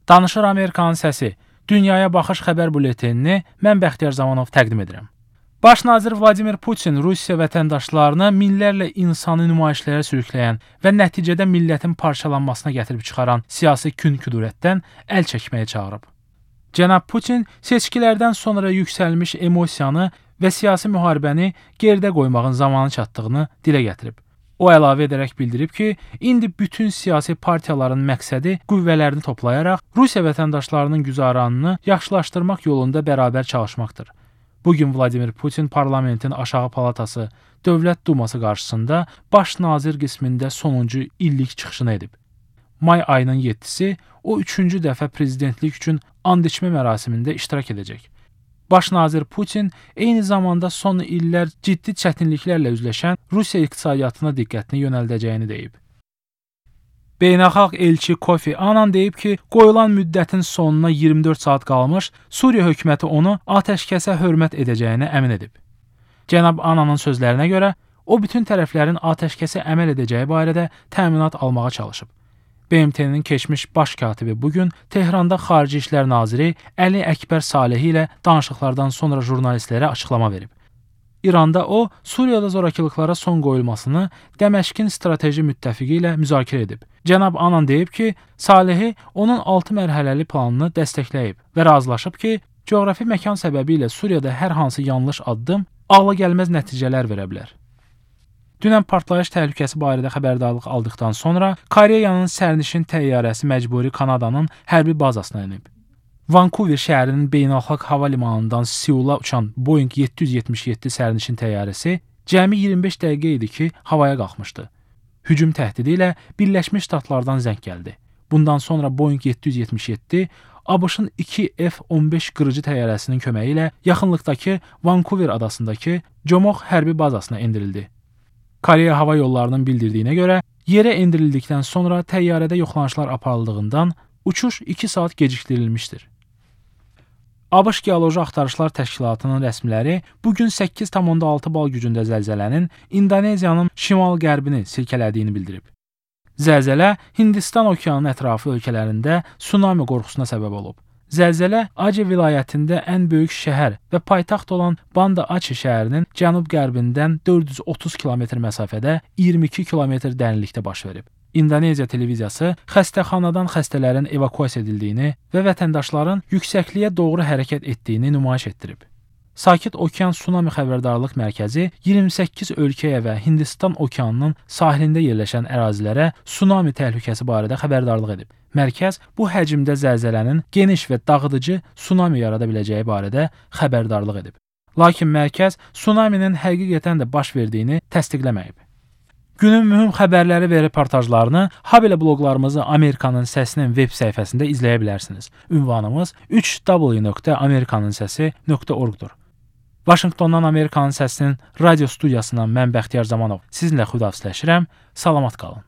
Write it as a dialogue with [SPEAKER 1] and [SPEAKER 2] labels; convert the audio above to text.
[SPEAKER 1] Danışır Amerikanın səsi. Dünyaya baxış xəbər bületenini mən Bəxtiyar Zamanov təqdim edirəm. Baş nazir Vladimir Putin Rusiya vətəndaşlarını minlərlə insanı nümayişlərə sürükləyən və nəticədə millətin parçalanmasına gətirib çıxaran siyasi kün-küdurətdən əl çəkməyə çağırıb. Cənab Putin seçkilərdən sonra yüksəlmiş emosiyanı və siyasi müharibəni geridə qoymağın zamanı çatdığını dilə gətirib. O əlavə edərək bildirib ki, indi bütün siyasi partiyaların məqsədi qüvvələrini toplayaraq Rusiya vətəndaşlarının güzaranını yaxşılaşdırmaq yolunda bərabər çalışmaqdır. Bugün Vladimir Putin parlamentin aşağı palatası, Dövlət Duması qarşısında baş nazir qismində sonuncu illik çıxışını edib. May ayının 7-si o 3-cü dəfə prezidentlik üçün and içmə mərasimində iştirak edəcək. Baş nazir Putin eyni zamanda son illər ciddi çətinliklərlə üzləşən Rusiya iqtisadiyyatına diqqətini yönəldəcəyini deyib. Beynəlxalq elçi Kofi Annan deyib ki, qoyulan müddətin sonuna 24 saat qalmış, Suriya hökuməti onu atəşkəsə hörmət edəcəyini əmin edib. Cənab Annanın sözlərinə görə, o bütün tərəflərin atəşkəsə əməl edəcəyi barədə təminat almağa çalışıb. BMT-nin keçmiş baş katibi bugün Tehranda Xarici İşlər Naziri Əli Əkbər Salehi ilə danışıqlardan sonra jurnalistlərə açıqlama verib. İranda o, Suriyada zorakılıqlara son qoyulmasını Dəməşqin strateji müttəfiqi ilə müzakirə edib. Cənab Annan deyib ki, Salehi onun 6 mərhələli planını dəstəkləyib və razılaşıb ki, coğrafi məkan səbəbilə Suriyada hər hansı yanlış addım ağla gəlməz nəticələr verə bilər. Dünən partlayış təhlükəsi barədə xəbərdarlıq aldıqdan sonra Koreyanın sərnişin təyyarəsi məcburi Kanadanın hərbi bazasına enib. Vancouver şəhərinin beynəlxalq hava limanından Seula uçan Boeing 777 sərnişin təyyarəsi cəmi 25 dəqiqə idi ki, havaya qalxmışdı. Hücum təhdidi ilə Birləşmiş Ştatlardan zəng gəldi. Bundan sonra Boeing 777 ABŞ-ın 2 F-15 qırıcı təyyarəsinin köməyi ilə yaxınlıqdakı Vancouver adasındakı Comox hərbi bazasına endirildi. Koreya Hava Yollarının bildirdiyinə görə, yerə endirildikdən sonra təyyarədə yoxlanışlar aparıldığından uçuş 2 saat gecikdirilmişdir. ABŞ Geoloji Axtarışlar Təşkilatının rəsmiləri bugün 8,6 bal gücündə zəlzələnin İndoneziyanın şimal-qərbini silkələdiyini bildirib. Zəlzələ Hindistan okeanının ətrafı ölkələrində tsunami qorxusuna səbəb olub. Zəlzələ Aceh vilayətində ən böyük şəhər və paytaxt olan Banda Aceh şəhərinin cənub-qərbindən 430 km məsafədə 22 km dərinlikdə baş verib. İndoneziya televiziyası xəstəxanadan xəstələrin evakuasiya edildiyini və vətəndaşların yüksəkliyə doğru hərəkət etdiyini nümayiş etdirib. Sakit Okean Tsunami Xəbərdarlıq Mərkəzi 28 ölkəyə və Hindistan okeanının sahilində yerləşən ərazilərə tsunami təhlükəsi barədə xəbərdarlıq edib. Mərkəz bu həcmdə zəlzələnin geniş və dağıdıcı tsunami yarada biləcəyi barədə xəbərdarlıq edib. Lakin mərkəz tsunaminin həqiqətən də baş verdiyini təsdiqləməyib. Günün mühüm xəbərləri və reportajlarını habelə bloqlarımızı Amerikanın Səsinin web səhifəsində izləyə bilərsiniz. Ünvanımız 3w.amerikanınsəsi.org-dur. Vaşinqtondan Amerikanın Səsinin radio studiyasından mən Bəxtiyar Zamanov sizinlə xudahafizləşirəm. Salamat qalın.